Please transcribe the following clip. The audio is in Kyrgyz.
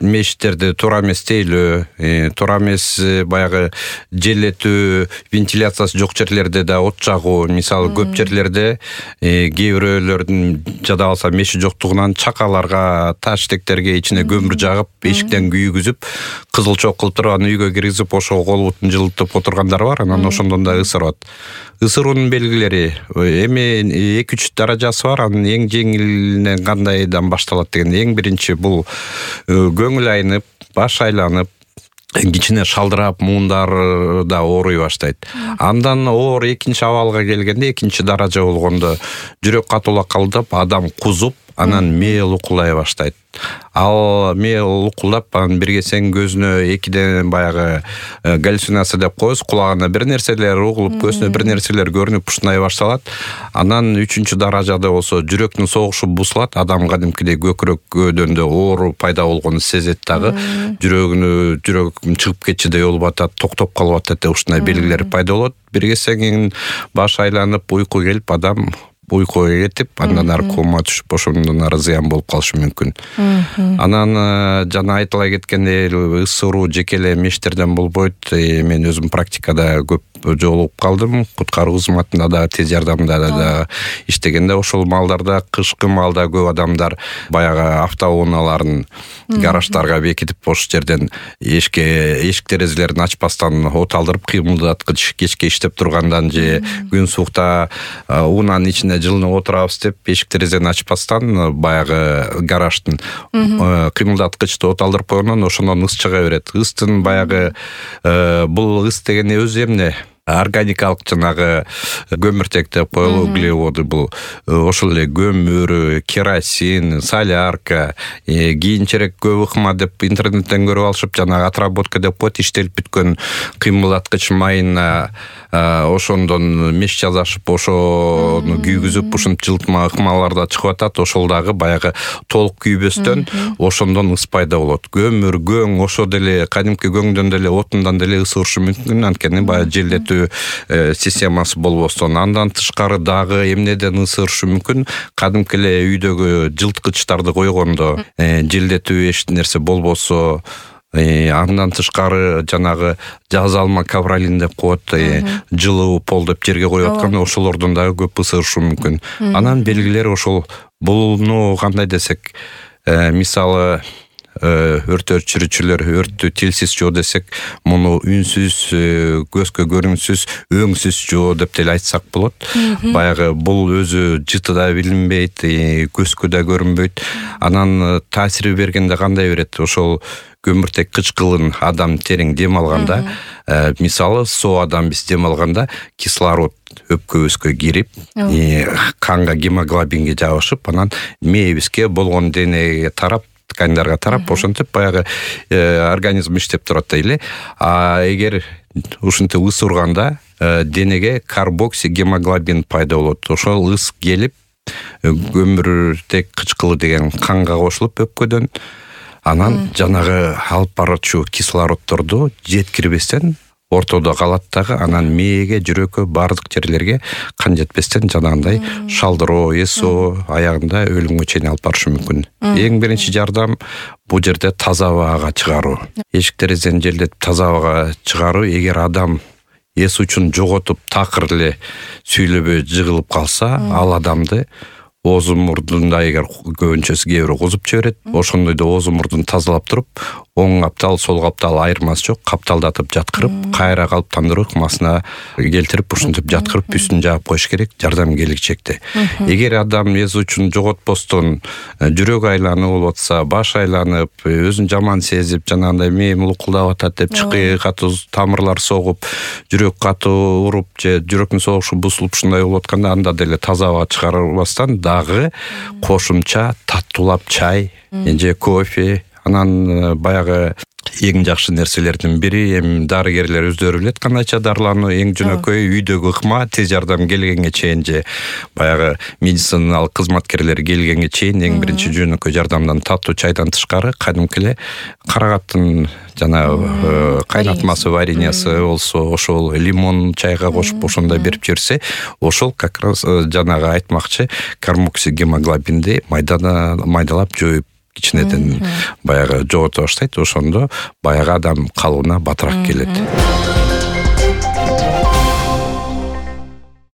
мешиттерди туура эмес тейлөө, туура эмес баягы желетүү, вентиляциясы жок жерлерде да от жагуу. Мисалы көп жерлерде кээ бирөөлөрдүн жада калса мешит жоктугунан чакаларга, таштектерге ичине көмүр жагып, эшиктен күйгүзүп, кызыл чок кылып туруп анан үйгө киргизип, ошого кол бутун жылытып отургандар бар. Анан ошондон да ысырат. Ысыруунун белгилери эми 2-3 даражасы бар. Анын эң жеңилинен кандайдан башталат деген эң биринчи бул көңүл айнып, баш айланып, кичине шалдырап, муундарда ооруй баштайт. Андан оор экинчи абалга келгенде, экинчи даража болгондо жүрөк катуулап калдып, адам кузуп, анан мээ лукулдай баштайт. Ал мээ лукулдап, анан бир кезең көзүнө экиден баягы галлюцинация деп коебуз, кулагына бир нерселер угулуп, көзүнө бир нерселер көрүнүп ушундай башталат. Анан 3-чү даражада болсо жүрөктүн согушу бузулат, адам кадимкидей көкүрөкөдөн оору пайда болгонун сезет дагы. Жүрөгүм чыгып кетчидей болуп атат, токтоп калып атат деп ушундай белгилер пайда болот. Бир кезең баш айланып, уйку келип, адам уйкуга кетип, андан ары кома түшүп, ошондон ары зыян болуп калышы мүмкүн. Анан жана айтыла кеткендей, ысыруу жеке эле мешиттерден болбойт. Мен өзүм практикада көп жолугуп калдым. Куткаруу кызматында да, тез жардамда да иштегенде ошол маалдарда, кышкы маалда көп адамдар баягы автоунааларын гараждарга бекитип, ошол жерден эшик терезелерин ачпастан от алдырып, кыймылдаткыч кечке иштеп тургандан же күн суукта унаанын ичинде жылынып отурабыз деп, эшик терезени ачпастан баягы гараждын кыймылдаткычты от алдырып койгондон ошондон ыс чыга берет. Ыстын баягы бул ыс деген өзү эмне? Органикалык жанагы көмүртек деп коелу, углеводы бул. Ошол эле көмүр, керосин, солярка, кийинчерээк көп ыкма деп интернеттен көрүп алышып, жанагы отработка деп коет, иштелип бүткөн кыймылдаткыч майына ошондон меш жасашып, ошону күйгүзүп, ушинтип жылытма ыкмаларда чыгып атат. Ошол дагы баягы толук күйбөстөн ошондон ыс пайда болот. Көмүр, көң, ошо деле кадимки көңдөн деле, отундан деле ысырышы мүмкүн, анткени баягы желдетүү системасы болбостон. Андан тышкары дагы эмнеден ысырышы мүмкүн? Кадимки эле үйдөгү жылыткычтарды койгондо, желдетүү эч нерсе болбосо, андан тышкары жанагы жаз алма кавралин деп коет, жылуу пол деп жерге коюп атканда, ошолордон дагы көп ысырышы мүмкүн. Анан белгилери ошол. Буну кандай десек, мисалы өрт өчүрүүчүлөр өрттү тилсиз жоо десек, муну үнсүз, көзгө көрүнсүз, өңсүз жоо деп деле айтсак болот. Баягы бул өзү жыты да билинбейт, көзгө да көрүнбөйт. Анан таасир бергенде кандай берет? Ошол көмүртек кычкылын адам терең дем алганда, мисалы соо адам биз дем алганда кислород өпкөбүзгө кирип, канга гемоглобинге жабышып, анан мээбизге болгон денеге тарап, ткандарга тарап, ошентип баягы организм иштеп турат эле. Эгер ушинтип ыс урганда денеге карбоксигемоглобин пайда болот. Ошол ыс келип, көмүртек кычкылы деген канга кошулуп өпкөдөн, анан жанагы алып баруучу кислороддорду жеткирбестен ортодо калат дагы, анан мээге, жүрөккө, баардык жерлерге кан жетпестен жанагындай шалдыроо, эсоо, аягында өлүмгө чейин алып барышы мүмкүн. Эң биринчи жардам бул жерде таза абага чыгаруу. Эшик терезени желдетип таза абага чыгаруу. Эгер адам эс учун жоготуп, такыр эле сүйлөбөй жыгылып калса, ал адамды оозу мурдунда эгер көбүнчөсү кээ бирөө кузуп жиберет, ошондойдо оозу мурдун тазалап туруп, оң каптал, сол каптал айырмасы жок, капталдатып жаткырып, кайра калыптандыруу ыкмасына келтирип, ушинтип жаткырып, үстүн жаап коюш керек жардам келечекте. Эгер адам эс учун жоготпостон жүрөк айланып болуп атса, баш айланып, өзүн жаман сезип, жанагындай мээм лукулдап атат деп, чыкы катуу тамырлар согуп, жүрөк катуу уруп же жүрөктүн согушу бузулуп ушундай болуп атканда, анда деле таза аба чыгарбастан дагы кошумча таттуулап чай же кофе, анан баягы эң жакшы нерселердин бири, эми дарыгерлер өздөрү билет кандайча дарылануу, эң жөнөкөй үйдөгү ыкма, тез жардам келгенге чейин же баягы медициналык кызматкерлер келгенге чейин эң биринчи жөнөкөй жардамдан таттуу чайдан тышкары кадимки эле карагаттын жанагы кайнатмасы, вареньясы болсо, ошол лимон чайга кошуп ошондой берип жиберсе, ошол как раз жанагы айтмакчы карбоксигемоглобинди майдалап жоюп кичинеден баягы жогото баштайт, ошондо баягы адам калыбына батыраак келет.